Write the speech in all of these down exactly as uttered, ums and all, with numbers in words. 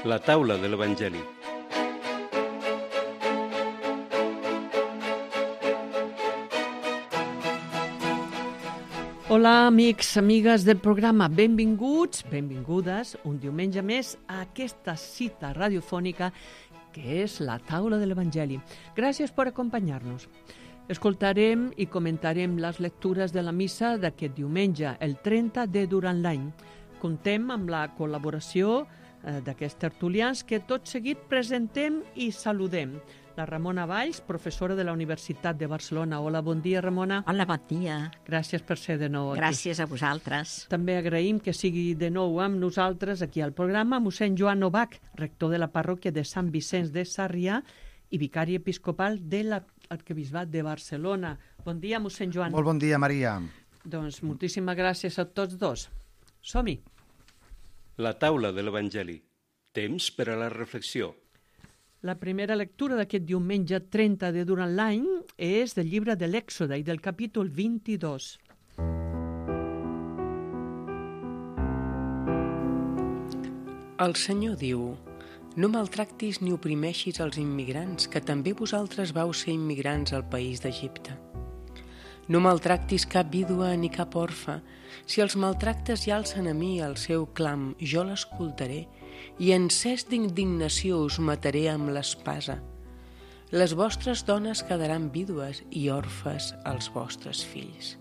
La taula de l'Evangeli. Hola, amics, amigues del programa. Benvinguts, benvingudes, un diumenge més a aquesta cita radiofònica que és la taula de l'Evangeli. Gràcies per acompanyar-nos. Escoltarem i comentarem les lectures de la missa d'aquest diumenge, el trenta de durant l'any. Contem amb la col·laboració eh, d'aquests tertulians que tot seguit presentem i saludem. La Ramona Valls, professora de la Universitat de Barcelona. Hola, bon dia, Ramona. Hola, bon dia. Gràcies per ser de nou aquí. Gràcies a vosaltres. També agraïm que sigui de nou amb nosaltres aquí al programa mossèn Joan Novak, rector de la parròquia de Sant Vicenç de Sarrià i vicari episcopal de l'arquebisbat de Barcelona. Bon dia, mossèn Joan. Molt bon dia, Maria. Doncs moltíssimes gràcies a tots dos. Som-hi. La taula de l'Evangeli. Temps per a la reflexió. La primera lectura d'aquest diumenge trenta de durant l'any és del llibre de l'Èxode i del capítol vint-i-dos. El Senyor diu: no maltractis ni oprimeixis els immigrants, que també vosaltres vau ser immigrants al país d'Egipte. No maltractis cap vídua ni cap orfe. Si els maltractes i alcen a mi el seu clam, jo l'escoltaré, i encès d'indignació us mataré amb l'espasa. Les vostres dones quedaran vídues i orfes als vostres fills.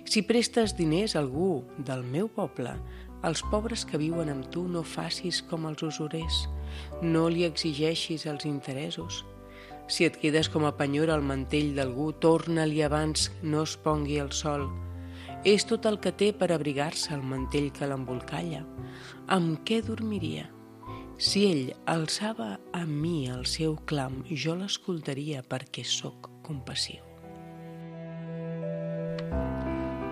Si prestes diners a algú del meu poble, als pobres que viuen amb tu no facis com els usurers, no li exigeixis els interessos. Si et quedes com a penyora al mantell d'algú, torna-li abans no es pongui el sol. És tot el que té per abrigar-se el mantell que l'embolcalla. Amb què dormiria? Si ell alçava a mi el seu clam, jo l'escoltaria perquè sóc compassiu.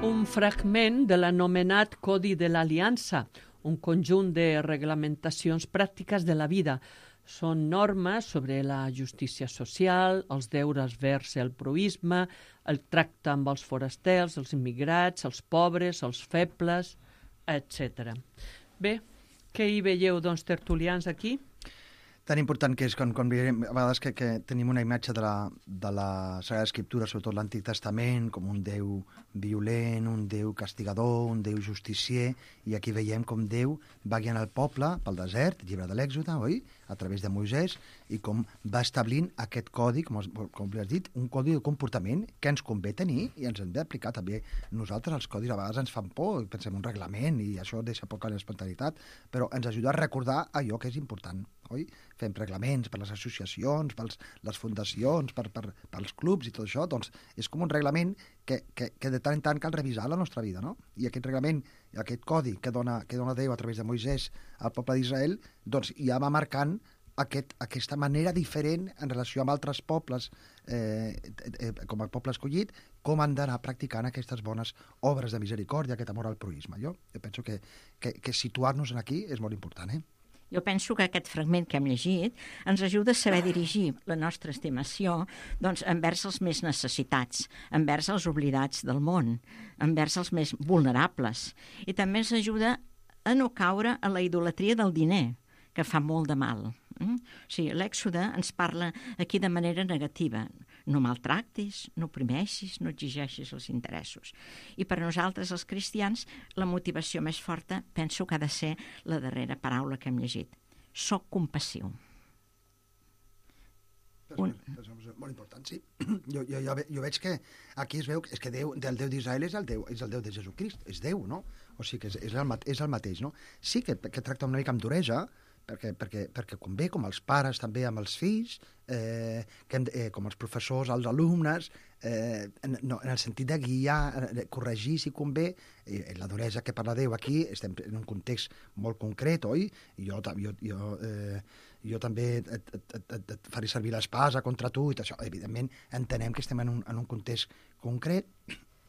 Un fragment de l'anomenat Codi de l'Aliança, un conjunt de reglamentacions pràctiques de la vida. Són normes sobre la justícia social, els deures vers el proïsme, el tracte amb els forasters, els immigrats, els pobres, els febles, etcètera. Bé, què hi veieu, doncs, tertulians aquí? Tan important que és quan, quan veiem, a vegades que, que tenim una imatge de la, de la Sagrada Escriptura, sobretot l'Antic Testament, com un Déu violent, un Déu castigador, un Déu justicier, i aquí veiem com Déu va guiant el poble pel desert, llibre de l'Èxode, oi?, a través de Moisès, i com va establint aquest codi, com, com has dit, un codi de comportament que ens convé tenir i ens hem d'aplicar també. Nosaltres els codis a vegades ens fan por, pensem un reglament i això deixa poca espontaneïtat, però ens ajuda a recordar allò que és important, oi? Fem reglaments per les associacions, per les fundacions, per, per, pels clubs i tot això, doncs és com un reglament que, que, que de tant en tant cal revisar la nostra vida, no? I aquest reglament, aquest codi que dona, que dona Déu a través de Moisès al poble d'Israel, doncs ja va marcant aquest, aquesta manera diferent en relació amb altres pobles, eh, eh, com el poble escollit, com han d'anar practicant aquestes bones obres de misericòrdia, aquest amor al proïsme. Jo, jo penso que, que, que situar-nos aquí és molt important, eh? Jo penso que aquest fragment que hem llegit ens ajuda a saber dirigir la nostra estimació doncs, envers els més necessitats, envers els oblidats del món, envers els més vulnerables. I també ens ajuda a no caure en la idolatria del diner, que fa molt de mal. Mm? O sigui, l'Èxode ens parla aquí de manera negativa. No maltractis, no oprimeixis, no exigeixis els interessos. I per a nosaltres, els cristians, la motivació més forta penso que ha de ser la darrera paraula que hem llegit. Soc compassiu. Un... És molt important, sí. Jo, jo, jo, jo veig que aquí es veu és que Déu, el Déu d'Israel és el Déu, és el Déu de Jesucrist, és Déu, no? O sigui que és, és, el, és el mateix, no? Sí que, que tracta una mica amb duresa, perquè, perquè, perquè convé, com els pares també amb els fills, eh, que hem, eh, com els professors als alumnes, eh, en, no, en el sentit de guiar, de corregir si convé, eh, la duresa que parla Déu aquí, estem en un context molt concret, oi? Jo, jo, jo, eh, jo també et, et, et, et faré servir l'espasa contra tu, i això, evidentment entenem que estem en un, en un context concret,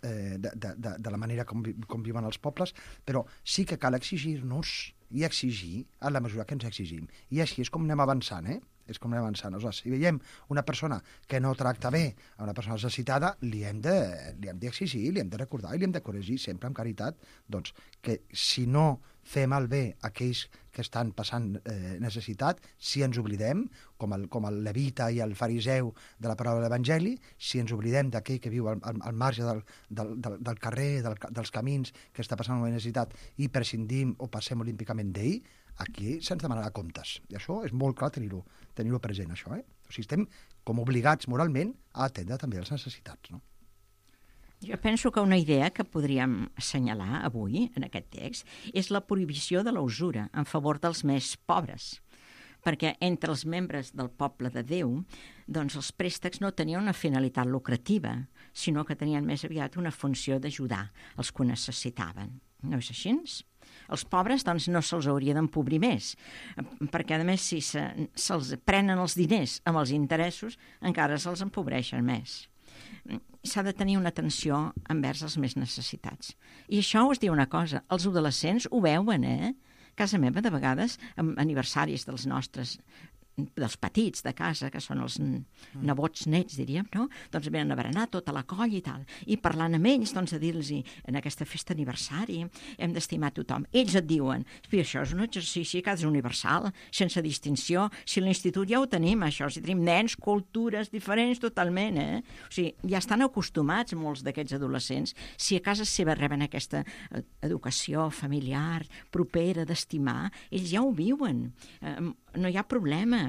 eh, de, de, de, de la manera com, com viuen els pobles, però sí que cal exigir-nos i exigir a la mesura que ens exigim. I així és com anem avançant, eh? És com anem avançant. Aleshores, si veiem una persona que no tracta bé a una persona necessitada, li hem de, li hem d'exigir, li hem de recordar i li hem de corregir sempre amb caritat, doncs, que si no fem el bé a aquells que que estan passant eh, necessitat, si ens oblidem, com el, com el levita i el fariseu de la paraula de l'Evangeli, si ens oblidem d'aquell que viu al, al, al marge del, del, del, del carrer, del, dels camins, que està passant una necessitat, i prescindim o passem olímpicament d'ell, aquí se'ns demanarà comptes. I això és molt clar tenir-ho tenir-ho present, això. Eh? O sigui, estem com obligats moralment a atendre també les necessitats, no? Jo penso que una idea que podríem assenyalar avui, en aquest text, és la prohibició de la usura en favor dels més pobres. Perquè entre els membres del poble de Déu, doncs els préstecs no tenien una finalitat lucrativa, sinó que tenien més aviat una funció d'ajudar els que ho necessitaven. No és així? Els pobres doncs, no se'ls hauria d'empobrir més, perquè a més si se, se'ls prenen els diners amb els interessos, encara se'ls empobreixen més. S'ha de tenir una atenció envers els més necessitats. I això us diu una cosa, els adolescents ho veuen, eh? A casa meva, de vegades, amb aniversaris dels nostres, dels petits de casa, que són els nebots nets, diríem, no? Doncs venen a berenar tota la colla i tal. I parlant amb ells, doncs, a dir-los en aquesta festa aniversari hem d'estimar tothom. Ells et diuen, això és un exercici que és universal, sense distinció. Si a l'institut ja ho tenim, això, si tenim nens, cultures diferents totalment, eh? O sigui, ja estan acostumats molts d'aquests adolescents. Si a casa seva reben aquesta educació familiar, propera, d'estimar, ells ja ho viuen. Eh, no hi ha problema.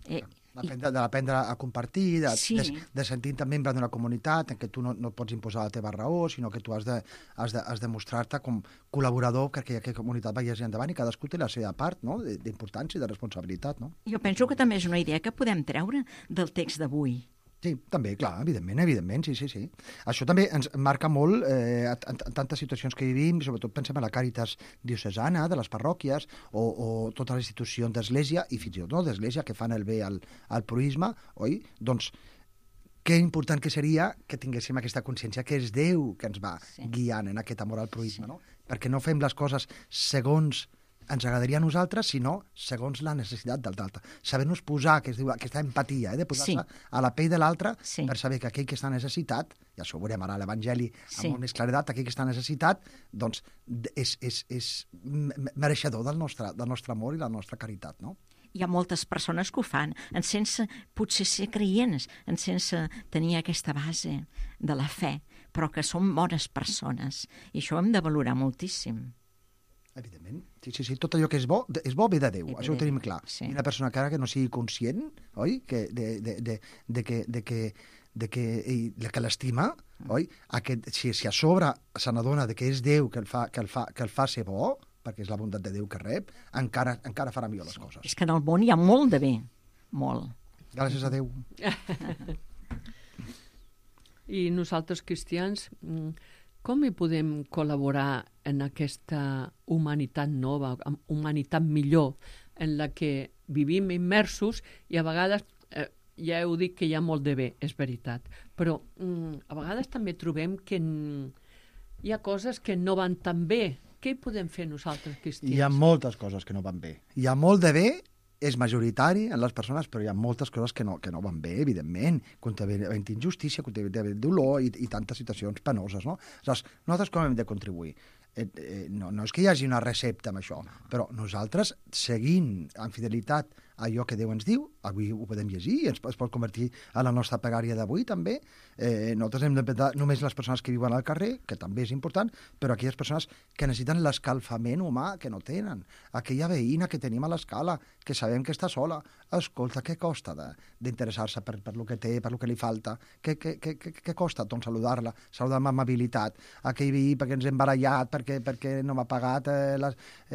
Eh, D'aprendre, d'aprendre a compartir, de, sí. de, de sentir-te membre d'una comunitat en què tu no, no pots imposar la teva raó, sinó que tu has de, has de, has de mostrar-te com col·laborador perquè aquella comunitat vagi endavant i cadascú té la seva part, no?, d'importància i de responsabilitat. No? Jo penso que també és una idea que podem treure del text d'avui. Sí, també, clar, evidentment, evidentment, sí, sí, sí. Això també ens marca molt eh, en, en tantes situacions que vivim, sobretot pensem en la Càritas diocesana de les parròquies o, o totes les institucions d'església i fins i tot no d'església que fan el bé al, al proïsme, oi? Doncs que important que seria que tinguéssim aquesta consciència que és Déu que ens va sí. guiant en aquest amor al proïsme, sí. no? Perquè no fem les coses segons ens agradaria a nosaltres, sinó segons la necessitat del l'altre. Saber-nos posar, que es diu aquesta empatia, eh, de posar-se sí. a la pell de l'altre sí. per saber que aquell que està necessitat, i això ho veurem ara a l'Evangeli sí. amb molt més claredat, aquell que està necessitat, doncs és, és, és mereixedor del nostre, del nostre amor i la nostra caritat, no? Hi ha moltes persones que ho fan, en sense potser ser creients, en sense tenir aquesta base de la fe, però que són bones persones, i això ho hem de valorar moltíssim. Evidentment. Sí, sí, sí. Tot allò que és bo, és bo ve de Déu, això ho tenim clar. Sí. I una persona que no sigui conscient, oi?, que de, de, de, de que, de que, de que, ell, que l'estima, oi?, aquest, si, si a sobre se n'adona de que és Déu que el, fa, que, el fa, que el fa ser bo, perquè és la bondat de Déu que rep, encara, encara farà millor les coses. És que en el món hi ha molt de bé, molt. Gràcies a Déu. I nosaltres, cristians, com hi podem col·laborar en aquesta humanitat nova, humanitat millor, en la que vivim immersos i a vegades, eh, ja heu dit que hi ha molt de bé, és veritat, però mm, a vegades també trobem que mm, hi ha coses que no van tan bé. Què hi podem fer nosaltres, cristians? Hi ha moltes coses que no van bé. Hi ha molt de bé, és majoritari en les persones, però hi ha moltes coses que no, que no van bé, evidentment. Contra injustícia, contra dolor i, i tantes situacions penoses, no? Aleshores, nosaltres com hem de contribuir? Eh, eh, no, no és que hi hagi una recepta amb això, però nosaltres, seguint amb fidelitat allò que Déu ens diu, avui ho podem llegir i ens, es pot convertir en la nostra pregària d'avui també. Eh, nosaltres hem de pensar només les persones que viuen al carrer, que també és important, però aquelles persones que necessiten l'escalfament humà, que no tenen. Aquella veïna que tenim a l'escala, que sabem que està sola. Escolta, què costa d'interessar-se per, per lo que té, per lo que li falta? Què, què, què, què costa doncs, saludar-la? Saludar amb amabilitat. Aquell veí perquè ens hem barallat, perquè, perquè no m'ha pagat eh,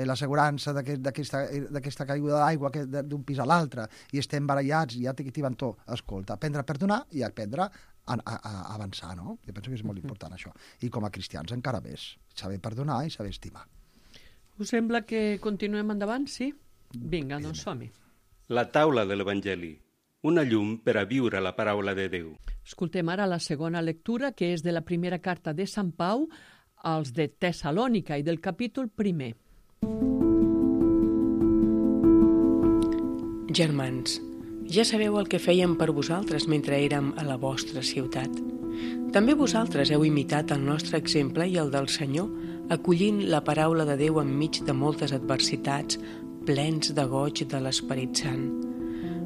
l'assegurança d'aquesta caiguda d'aigua d'un pis a l'altre, i estem barallats, i ja t'hi van tot. Escolta, aprendre a perdonar i aprendre a, a, a avançar, no? Jo penso que és molt important això. I com a cristians encara més. Saber perdonar i saber estimar. Us sembla que continuem endavant, sí? Vinga, doncs som-hi. La taula de l'Evangeli. Una llum per a viure la paraula de Déu. Escoltem ara la segona lectura, que és de la primera carta de Sant Pau als de Tessalònica i del capítol primer. Germans, ja sabeu el que fèiem per vosaltres mentre érem a la vostra ciutat. També vosaltres heu imitat el nostre exemple i el del Senyor, acollint la paraula de Déu enmig de moltes adversitats, plens de goig de l'Esperit Sant.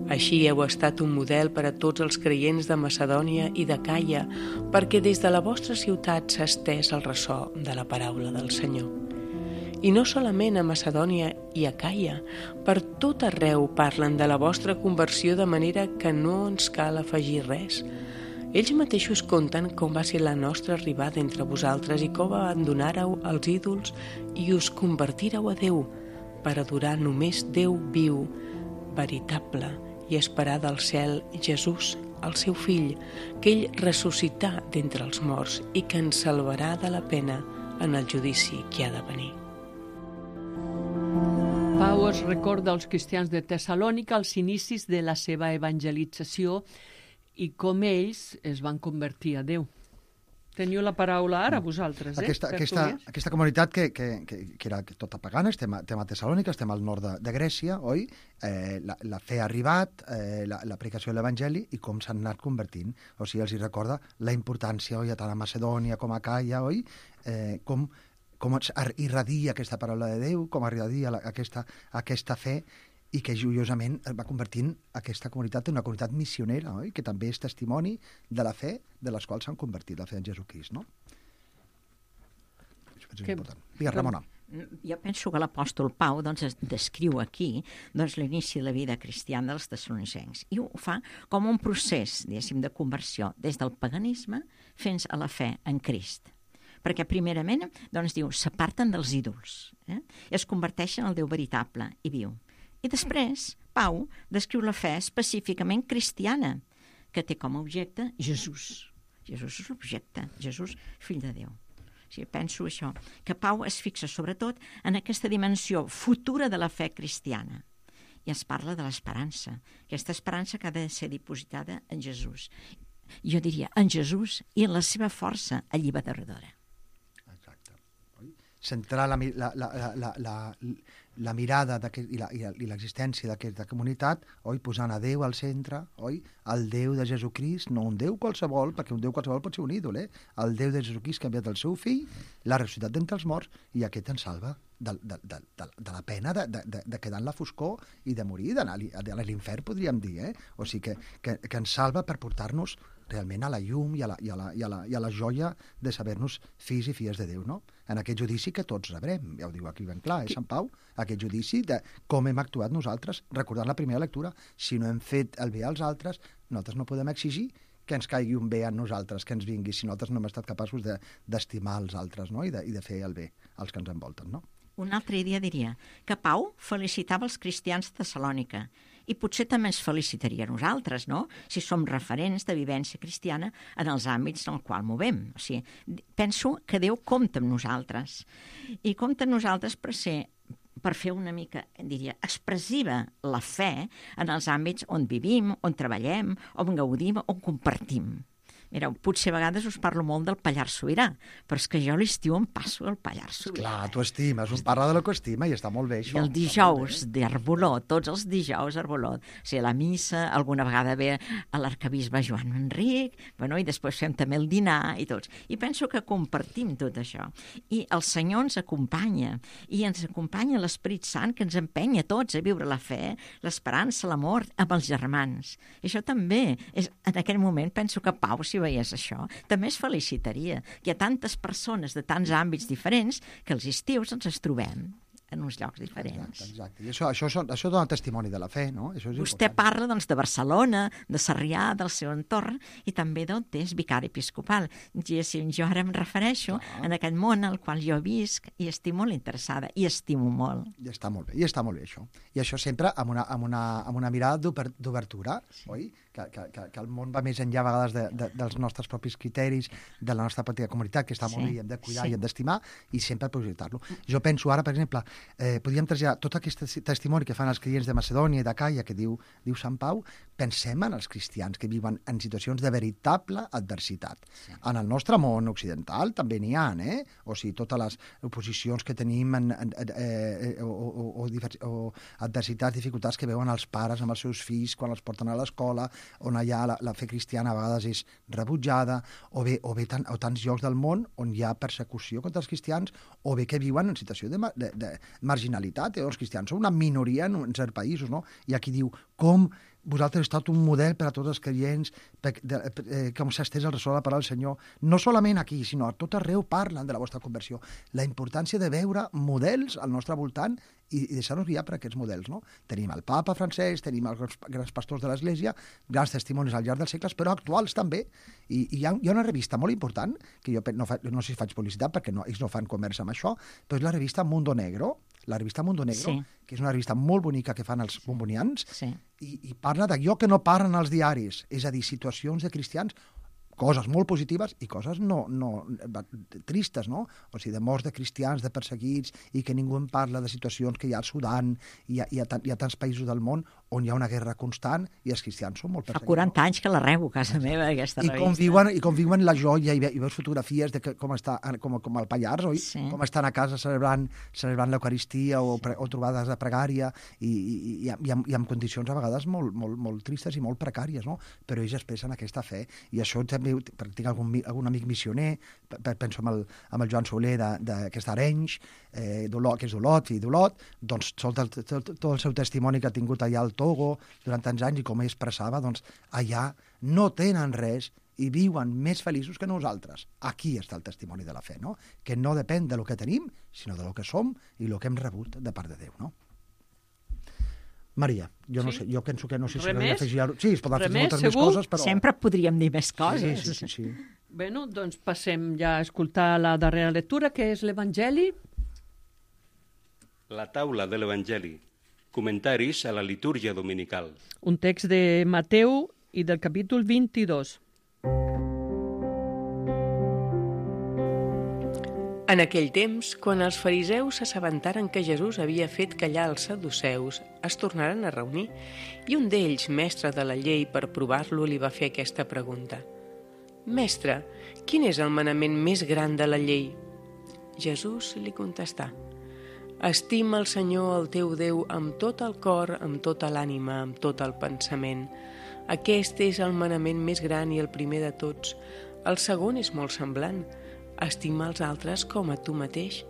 Així heu estat un model per a tots els creients de Macedònia i de Caia, perquè des de la vostra ciutat s'ha estès el ressò de la paraula del Senyor. I no solament a Macedònia i a Caia, per tot arreu parlen de la vostra conversió de manera que no ens cal afegir res. Ells mateixos conten com va ser la nostra arribada entre vosaltres i com abandonàreu els ídols i us convertíreu a Déu per adorar només Déu viu, veritable, i esperar del cel Jesús, el seu fill, que ell ressuscità d'entre els morts i que ens salvarà de la pena en el judici que ha de venir. Pau es recorda als cristians de Tessalònica els inicis de la seva evangelització i com ells es van convertir a Déu. Teniu la paraula ara, vosaltres, eh? Aquesta, aquesta, aquesta comunitat que, que, que, que era tota pagana, estem a, estem a Tessalònica, estem al nord de, de Grècia, oi? Eh, la, la fe ha arribat, eh, la, la predicació de l'Evangeli i com s'han anat convertint. O sigui, els hi recorda la importància, oi, tant a Macedònia com a Caia, oi? Eh, com, com irradia aquesta paraula de Déu, com irradia la, aquesta, aquesta fe, i que joiosament va convertint aquesta comunitat en una comunitat missionera, oi? Que també és testimoni de la fe de les quals s'han convertit, la fe en Jesucrist, no? Això és que, important. Digues, Ramona. Jo penso que l'apòstol Pau doncs, es descriu aquí doncs, l'inici de la vida cristiana dels tessalonicencs i ho fa com un procés, diguéssim, de conversió des del paganisme fins a la fe en Crist. Perquè primerament, doncs, diu, s'aparten dels ídols, eh? Es converteixen al Déu veritable i viu. I després, Pau descriu la fe específicament cristiana, que té com a objecte Jesús. Jesús és l'objecte, Jesús, fill de Déu. O sigui, penso això, que Pau es fixa sobretot en aquesta dimensió futura de la fe cristiana. I es parla de l'esperança, aquesta esperança que ha de ser dipositada en Jesús. Jo diria, en Jesús i en la seva força alliberadora. Exacte. Centrar la, la, la, la, la, la, la mirada i l'existència d'aquesta comunitat, oi, posant a Déu al centre, oi, el Déu de Jesucrist, no un Déu qualsevol, perquè un Déu qualsevol pot ser un ídol, eh? El Déu de Jesucrist que ha enviat el seu fill, l'ha ressuscitat d'entre els morts, i aquest ens salva de, de, de, de, de la pena de, de, de quedar en la foscor i de morir, d'anar a l'infern, podríem dir, eh? O sigui, que, que, que ens salva per portar-nos realment a la llum i a la, i a la, i a la, i a la joia de saber-nos fills i filles de Déu, no? En aquest judici que tots rebrem, ja ho diu aquí ben clar, eh, Sant Pau, aquest judici de com hem actuat nosaltres, recordant la primera lectura, si no hem fet el bé als altres, nosaltres no podem exigir que ens caigui un bé a nosaltres, que ens vingui, si nosaltres no hem estat capaços d'estimar els altres, no? I, de, i de fer el bé als que ens envolten, no? Un altre dia diria que Pau felicitava els cristians de Tessalònica i potser també ens felicitaria a nosaltres, no?, si som referents de vivència cristiana en els àmbits en els quals movem. O sigui, penso que Déu compta amb nosaltres i compta amb nosaltres per ser per fer una mica, diria, expressiva la fe en els àmbits on vivim, on treballem, on gaudim, on compartim. Mireu, potser a vegades us parlo molt del Pallars Sobirà, però és que jo l'estiu em passo el Pallars Sobirà. Clar, tu estimes, un parla de lo que estima i està molt bé, això. I el dijous d'Arboló, tots els dijous d'Arboló, o sigui, la missa, alguna vegada ve a l'arcabisbe Joan Enric, bueno, i després fem també el dinar i tots. I penso que compartim tot això. I el Senyor ens acompanya, i ens acompanya l'Esperit Sant, que ens empenya tots a viure la fe, l'esperança, l'amor amb els germans. I això també, és, en aquell moment, penso que Pau, si veies això, també es felicitaria. Hi ha tantes persones de tants àmbits diferents que els estius ens els trobem en uns llocs diferents. Exacte, exacte. I això, això, això dona testimoni de la fe, no? Això és Vostè important. parla doncs, de Barcelona, de Sarrià, del seu entorn, i també d'on és vicari episcopal. Jo, jo ara em refereixo ah. en aquest món al qual jo visc i estic molt interessada, i estimo molt. I està molt bé, i està molt bé això. I això sempre amb una, amb una, amb una mirada d'obertura, sí. Oi? Que, que, que, que el món va més enllà a vegades de, de, dels nostres propis criteris, de la nostra petita comunitat, que està sí. molt bé i hem de cuidar sí. i hem d'estimar, i sempre projectar-lo. Jo penso ara, per exemple, eh, podríem traslladar tot aquest testimoni que fan els clients de Macedònia i de Caia, que diu, diu Sant Pau, pensem en els cristians que viuen en situacions de veritable adversitat. Sí. En el nostre món occidental també n'hi ha, eh? O sigui, totes les oposicions que tenim en, en, eh, o, o, o o adversitats, dificultats que veuen els pares amb els seus fills quan els porten a l'escola, on allà la, la fe cristiana a vegades és rebutjada, o bé, o bé tan, o tants llocs del món on hi ha persecució contra els cristians, o bé que viuen en situació de, de, de marginalitat. Eh? Els cristians són una minoria en, en certs països, no? I aquí diu, com vosaltres heu estat un model per a tots els creients, per, de, eh, com s'ha estès el ressò de la paraula del Senyor. No solament aquí, sinó a tot arreu parlen de la vostra conversió. La importància de veure models al nostre voltant i, i deixar-nos guiar per aquests models. No? Tenim el papa francès, tenim els grans pastors de l'Església, grans testimonis al llarg dels segles, però actuals també. I, i hi, ha, hi ha una revista molt important, que jo no, fa, no sé si faig publicitat perquè no, ells no fan comerç amb això, però és la revista Mundo Negro, la revista Mundo Negro, sí. que és una revista molt bonica que fan els bombonians, sí. i, i parla d'allò que no parlen als diaris, és a dir, situacions de cristians, coses molt positives i coses no, no tristes, no? O sigui, de morts de cristians, de perseguits, i que ningú en parla de situacions que hi ha al Sudan, i hi ha, hi ha, hi ha tants països del món on hi ha una guerra constant i els cristians són molt perseguits. Fa quaranta anys que la rebo a casa meva, aquesta I revista. Com viuen, I com viuen la joia, i, ve, i veus fotografies de que, com està, com, com el Pallars, oi? Sí. Com estan a casa celebrant, celebrant l'Eucaristia o, pre, o trobades de pregària, i, i, i, i, amb, i amb condicions a vegades molt, molt, molt tristes i molt precàries, no? Però ells expressen aquesta fe, i això també practica algun, algun amic missioner, penso amb el, amb el Joan Soler d'aquest Arenys, eh, d'Olot, que és d'Olot, fill d'Olot, doncs tot el, tot, tot el seu testimoni que ha tingut allà al Togo durant tants anys, i com ell expressava, doncs allà no tenen res i viuen més feliços que nosaltres. Aquí està el testimoni de la fe, no? Que no depèn de lo que tenim, sinó de lo que som i lo que hem rebut de part de Déu, no? Maria, jo no sí? sé, jo penso que no sé si Remés? afegir... Sí, es poden afegir moltes segur? més coses, però... Sempre podríem dir més coses. Sí, sí, sí, sí. Bueno, doncs passem ja a escoltar la darrera lectura, que és l'Evangeli. La taula de l'Evangeli. Comentaris a la litúrgia dominical. Un text de Mateu i del capítol vint-i-dos. En aquell temps, quan els fariseus s'assabentaren que Jesús havia fet callar els saduceus, es tornaren a reunir, i un d'ells, mestre de la llei, per provar-lo, li va fer aquesta pregunta. Mestre, quin és el manament més gran de la llei? Jesús li contestà. Estima el Senyor, el teu Déu, amb tot el cor, amb tota l'ànima, amb tot el pensament. Aquest és el manament més gran i el primer de tots. El segon és molt semblant. Estima els altres com a tu mateix.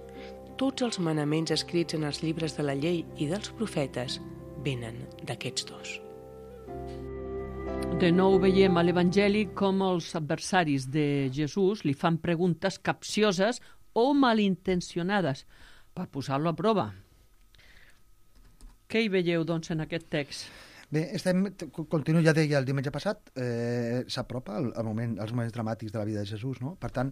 Tots els manaments escrits en els llibres de la llei i dels profetes venen d'aquests dos. De nou veiem a l'Evangeli com els adversaris de Jesús li fan preguntes capcioses o malintencionades per posar-lo a prova. Què hi veieu, doncs, en aquest text? Bé, estem, continuo, ja deia el diumenge passat, eh, s'apropa el, el moment, els moments dramàtics de la vida de Jesús, no? Per tant,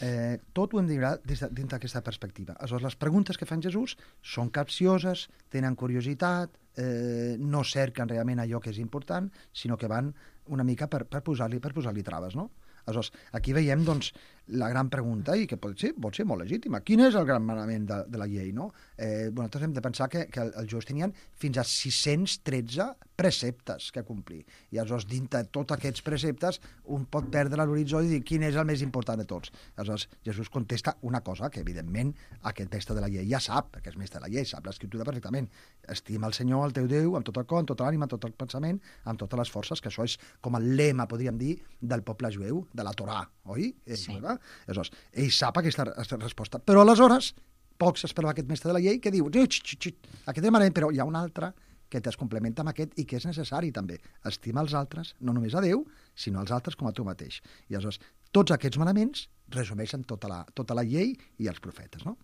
eh, tot ho hem de mirar des de, dins d'aquesta perspectiva. Aleshores, les preguntes que fan Jesús són capcioses, tenen curiositat, eh, no cerquen realment allò que és important, sinó que van una mica per, per posar-li per posar-li traves, no? Aleshores, aquí veiem, doncs, la gran pregunta, i que pot ser, pot ser molt legítima. Quin és el gran manament de, de la llei, no? Eh, bueno, nosaltres hem de pensar que, que els jueus tenien fins a sis-cents tretze preceptes que complir. I aleshores, dintre de tots aquests preceptes, un pot perdre l'horitzó i dir quin és el més important de tots. Aleshores, Jesús contesta una cosa que, evidentment, aquest mestre de la llei ja sap, perquè és mestre de la llei, sap l'escriptura perfectament. Estima el Senyor, el teu Déu, amb tot el cor, amb tota l'ànima, amb tot el pensament, amb totes les forces, que això és com el lema, podríem dir, del poble jueu, de la Torà, oi? Sí. Aleshores, ell sap aquesta resposta. Però aleshores, poc s'esperava aquest mestre de la llei que diu, aquest demanament, però hi ha un altre que es complementa amb aquest i que és necessari també. Estima els altres, no només a Déu, sinó als altres com a tu mateix. I aleshores, tots aquests manaments resumeixen tota la, tota la llei i els profetes, no?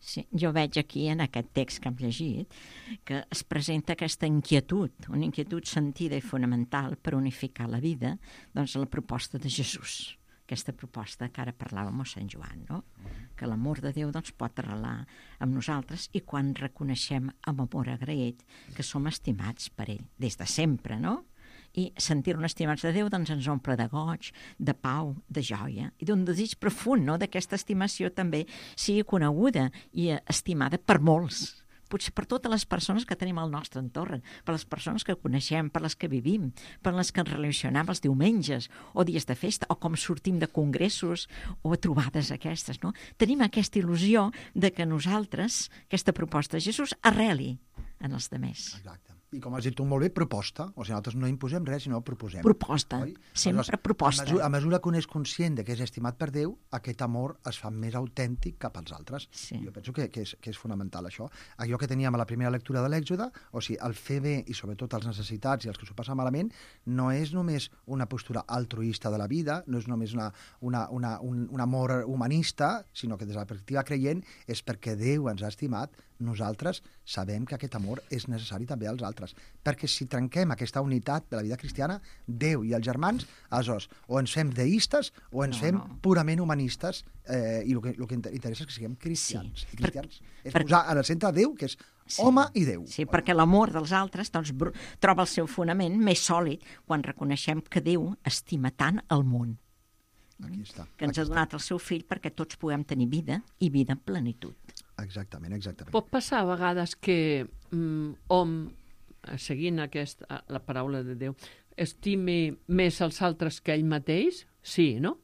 Sí, jo veig aquí, en aquest text que hem llegit, que es presenta aquesta inquietud, una inquietud sentida i fonamental per unificar la vida, doncs la proposta de Jesús, aquesta proposta que ara parlava mossèn Joan, no? Que l'amor de Déu doncs, pot arrelar amb nosaltres i quan reconeixem amb amor agraït que som estimats per ell, des de sempre, no? I sentir-nos estimats de Déu doncs, ens omple de goig, de pau, de joia i d'un desig profund, no? D'aquesta estimació també sigui coneguda i estimada per molts, potser per totes les persones que tenim al nostre entorn, per les persones que coneixem, per les que vivim, per les que ens relacionem els diumenges o dies de festa, o com sortim de congressos o a trobades aquestes, no? Tenim aquesta il·lusió de que nosaltres, aquesta proposta de Jesús, arreli en els demés. Exacte. I com has dit tu molt bé, proposta. O sigui, nosaltres no imposem res, sinó proposem. Proposta, oi? sempre Aleshores, proposta. A mesura, a mesura que un és conscient de que és estimat per Déu, aquest amor es fa més autèntic cap als altres. Sí. Jo penso que, que, és, que és fonamental, això. Allò que teníem a la primera lectura de l'Èxode, o sigui, el fer bé i sobretot els necessitats i els que s'ho passen malament, no és només una postura altruista de la vida, no és només una, una, una, un, un amor humanista, sinó que des de la perspectiva creient és perquè Déu ens ha estimat, nosaltres sabem que aquest amor és necessari també als altres. Perquè si trenquem aquesta unitat de la vida cristiana, Déu i els germans, aleshores, o ens fem deistes o ens No, fem no. purament humanistes, eh, i el que, el que interessa és que siguem cristians. Sí, I cristians per- és per- posar en el centre Déu, que és Sí. home i Déu. Sí, perquè l'amor dels altres doncs, br- troba el seu fonament més sòlid quan reconeixem que Déu estima tant el món, Aquí està. que ens ha Aquí donat el seu fill perquè tots puguem tenir vida i vida en plenitud. està. Exactament, exactament. Pot passar a vegades que mm, hom, seguint aquest, la paraula de Déu, estimi més els altres que ell mateix? Sí, no?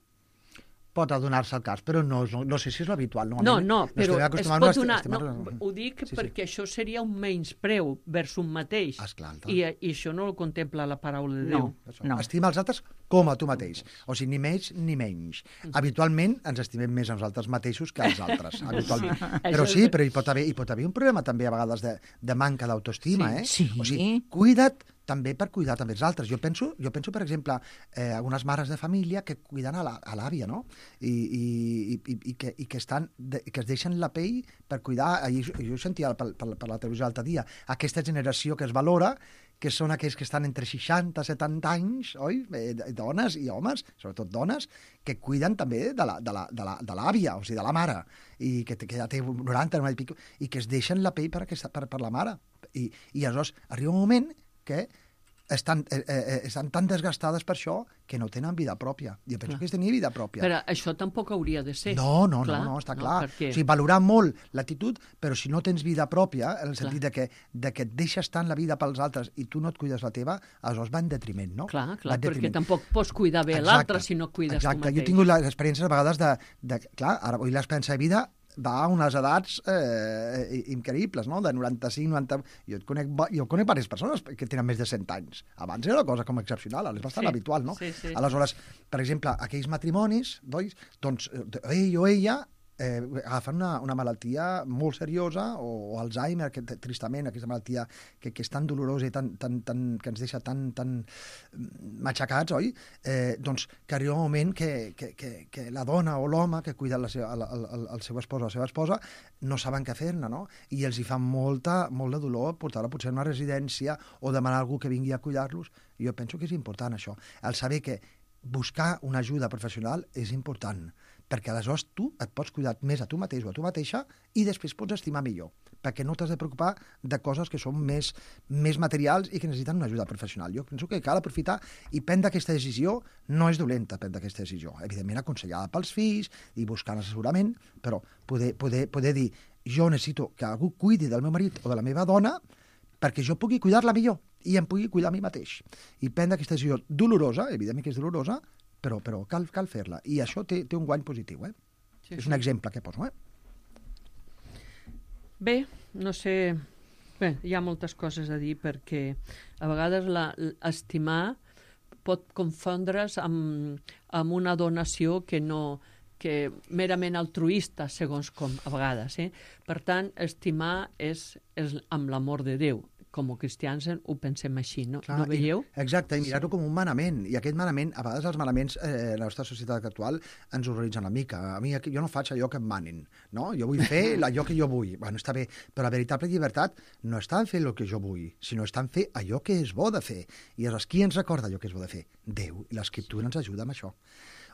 Pot adonar-se el cas, però no, no, no sé si és l'habitual. No, Normalment no, però estem es acostumats pot a esti- donar... estimar- No, ho dic Sí, sí. perquè això seria un menyspreu vers un mateix. Esclar, tant. I, I això no ho contempla la paraula de Déu. No, Això. no. Estima els altres com a tu mateix. O sigui, ni més ni menys. Habitualment ens estimem més a nosaltres mateixos que als altres. Habitualment. Però Això sí, és- però hi pot haver, hi pot haver un problema també a vegades de, de manca d'autoestima. Eh? Sí. O sigui, cuida't també per cuidar també els altres. Jo penso, jo penso per exemple, eh, algunes mares de família que cuiden a la- a l'àvia, no? I, i, i, i, que, i que, estan de, que es deixen la pell per cuidar. Ahir, jo sentia per, per, per la televisió l'altre dia aquesta generació que es valora, que són aquells que estan entre seixanta i setanta anys, oi? Eh, dones i homes, sobretot dones, que cuiden també de la, de la, de la, de l'àvia, o sigui, de la mare, i que, que ja té noranta, noranta i pico, i que es deixen la pell per, aquesta, per, per la mare. I, i aleshores arriba un moment que estan, eh, eh, estan tan desgastades per això que no tenen vida pròpia. Jo penso Clar. que és tenir vida pròpia. Però això tampoc hauria de ser. No, no, Clar, no, no, està no, clar. perquè- O sigui, valorar molt l'actitud, però si no tens vida pròpia, en el sentit de que, de que et deixes tant la vida pels altres i tu no et cuides la teva, aleshores va en detriment, no? Clar, Va clar, en perquè detriment. tampoc pots cuidar bé Exacte, l'altre si no et cuides exacte. tu mateix. Jo he tingut les experiències a vegades de, de... Clar, ara avui l'esperança de vida va a unes edats eh, increïbles, no? De noranta-cinc, noranta... Jo conec, jo conec diverses persones que tenen més de cent anys. Abans era una cosa com excepcional, ara és bastant Sí, habitual, no? sí, sí. Aleshores, per exemple, aquells matrimonis, doncs, doncs ell o ella eh, agafen una, una malaltia molt seriosa, o, o Alzheimer, que tristament, aquesta malaltia que, que és tan dolorosa i tan, tan, tan, que ens deixa tan, tan matxacats, oi? Eh, doncs que arriba un moment que, que, que, que la dona o l'home que cuida la seva, el, el, el seu espòs o la seva esposa no saben què fer-ne, no? I els hi fa molta, molt de dolor portar-la potser a una residència o demanar a algú que vingui a cuidar-los. I jo penso que és important això, el saber que buscar una ajuda professional és important, perquè aleshores tu et pots cuidar més a tu mateix o a tu mateixa i després pots estimar millor, perquè no t'has de preocupar de coses que són més, més materials i que necessiten una ajuda professional. Jo penso que cal aprofitar i prendre aquesta decisió. No és dolenta prendre aquesta decisió, evidentment aconsellada pels fills i buscant assessorament, però poder, poder, poder dir jo necessito que algú cuidi del meu marit o de la meva dona perquè jo pugui cuidar-la millor i em pugui cuidar a mi mateix. I prendre aquesta decisió dolorosa, evidentment que és dolorosa, però, però cal, cal fer-la. I això té, té un guany positiu, eh? Sí, és sí. un exemple que poso, eh? Bé, no sé... Bé, hi ha moltes coses a dir perquè a vegades la, estimar pot confondre's amb, amb una donació que no que merament altruista, segons com, a vegades. Eh? Per tant, estimar és, és amb l'amor de Déu. Com a cristians ho pensem així, no? Clar, no veieu? I, exacte, i mirar-ho com un manament. I aquest manament, a vegades els manaments eh, en la nostra societat actual ens horroritzen una mica. A mi jo no faig allò que em manen, no? Jo vull fer allò que jo vull. Bueno, està bé, però la veritable llibertat no està en fer el que jo vull, sinó està en fer allò que és bo de fer. I aleshores, qui ens recorda allò que és bo de fer? Déu. I l'Escriptura ens ajuda amb això.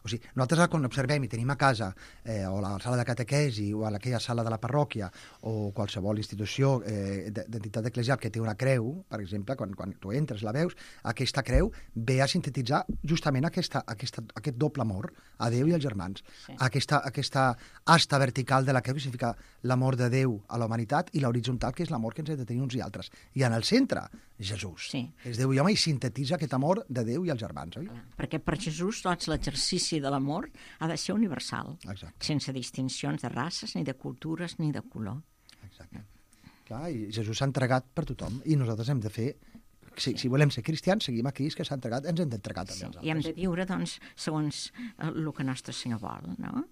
O O sigui, nosaltres quan observem i tenim a casa, eh, o a la sala de catequesi, o a aquella sala de la parròquia, o qualsevol institució eh, d'entitat eclesial que té una creu, per exemple, quan, quan tu entres, la veus, aquesta creu ve a sintetitzar justament aquesta, aquesta, aquest doble amor a Déu i als germans. Sí. Aquesta, aquesta asta vertical de la creu que significa l'amor de Déu a la humanitat i l'horitzontal, que és l'amor que ens hem de tenir uns i altres. I en el centre, Jesús. Sí. És Déu i home i sintetitza aquest amor de Déu i els germans, oi? Clar, perquè per Jesús doncs, l'exercici de l'amor ha de ser universal, Exacte. sense distincions de races, ni de cultures, ni de color. Exacte. Clar, i Jesús s'ha entregat per tothom i nosaltres hem de fer, si, si volem ser cristians, seguim a Crist que s'ha entregat, ens hem d'entregar també Sí, als altres. i hem de viure doncs, segons el que Nostre Senyor vol, no?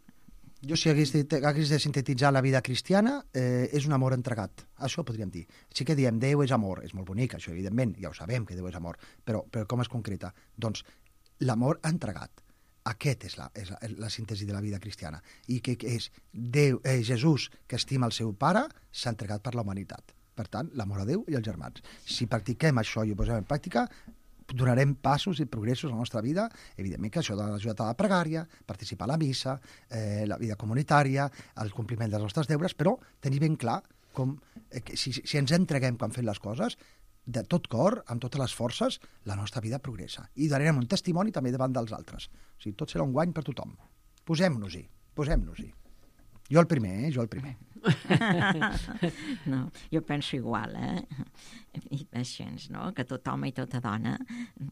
Jo, si hagués de, hagués de sintetitzar la vida cristiana, eh, és un amor entregat. Això podríem dir. Sí que diem Déu és amor, és molt bonic, això, evidentment, ja ho sabem que Déu és amor, però, però com es concreta? Doncs l'amor entregat. Aquest és la, és la, la síntesi de la vida cristiana. I que, que és Déu, eh, Jesús, que estima el seu pare, s'ha entregat per la humanitat. Per tant, l'amor a Déu i als germans. Si practiquem això i ho posem en pràctica, donarem passos i progressos a la nostra vida. Evidentment que això ha ajudat a la pregària, participar a la missa, eh, la vida comunitària, el compliment dels nostres deures, però tenir ben clar com, eh, que si, si ens entreguem quan fem les coses, de tot cor, amb totes les forces, la nostra vida progressa. I donarem un testimoni també davant dels altres. O sigui, tot serà un guany per tothom. Posem-nos-hi, posem-nos-hi. Jo el primer, eh? Jo el primer. No, jo penso igual, eh? I així, no? Que tot home i tota dona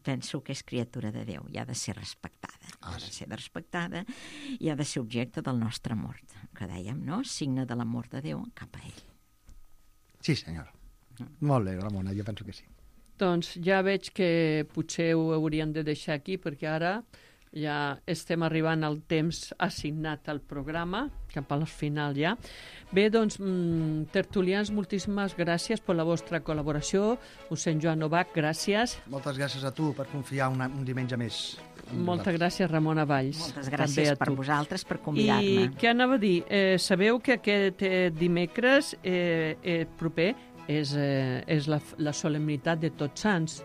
penso que és criatura de Déu i ha de ser respectada. Ah, ha de sí. ser respectada i ha de ser objecte del nostre amor, que dèiem, no? Signe de l'amor de Déu cap a ell. Sí, senyora. Molt bé, Ramona, jo penso que sí. Doncs ja veig que potser ho hauríem de deixar aquí perquè ara ja estem arribant al temps assignat al programa, cap al final ja. Bé, doncs, mm, tertulians, moltíssimes gràcies per la vostra col·laboració. Mossèn Joan Novak, gràcies. Moltes gràcies a tu per confiar una, un diumenge més. Moltes gràcies, Ramona Valls. Moltes gràcies per vosaltres, per convidar-me. I què anava a dir? Eh, sabeu que aquest eh, dimecres eh, eh, proper és, eh, és la, la solemnitat de Tots Sants.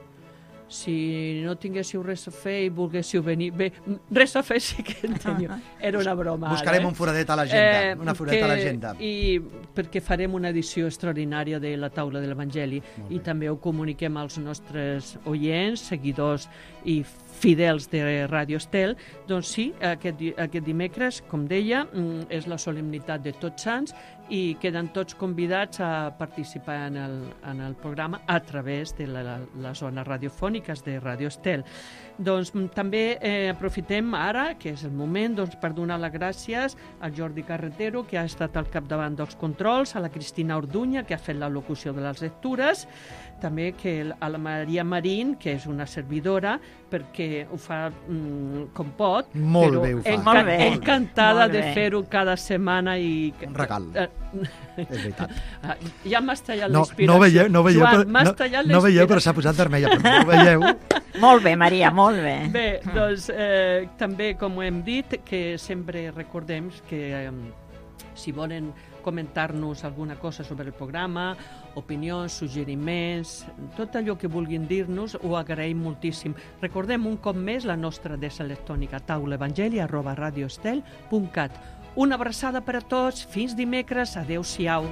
Si no tinguéssiu res a fer i volguéssiu venir... Bé, res a fer sí que en teniu. Era una broma. Buscarem ara, eh? un foradet a l'agenda. Eh, una foradeta a l'agenda. I perquè farem una edició extraordinària de la taula de l'Evangeli i també ho comuniquem als nostres oients, seguidors i fidels de Ràdio Estel. Doncs sí, aquest, aquest dimecres, com deia, és la solemnitat de Tots Sants i queden tots convidats a participar en el, en el programa a través de la, la, les zones radiofòniques de Ràdio Estel. Doncs també eh, aprofitem ara, que és el moment, doncs, per donar les gràcies al Jordi Carretero, que ha estat al capdavant dels controls, a la Cristina Orduña, que ha fet la locució de les lectures, també que a la Maria Marín, que és una servidora, perquè ho fa mm, com pot. Molt però bé ho fa. Enca Molt bé. encantada Molt bé. de fer-ho cada setmana. I... Un regal. Eh, És veritat. ja m'has tallat No, l'inspiració. no veieu, no veieu, Joan, però, m'has no, tallat no veieu, però l'inspiració. s'ha posat vermella, però no ho veieu. Molt bé, Maria, molt bé. Bé, doncs eh, també, com hem dit, que sempre recordem que eh, si volen comentar-nos alguna cosa sobre el programa, opinions, suggeriments, tot allò que vulguin dir-nos, ho agraïm moltíssim. Recordem un cop més la nostra adreça electrònica taulaevangeli arroba radioestel punt cat. Una abraçada per a tots, fins dimecres, adeu-siau.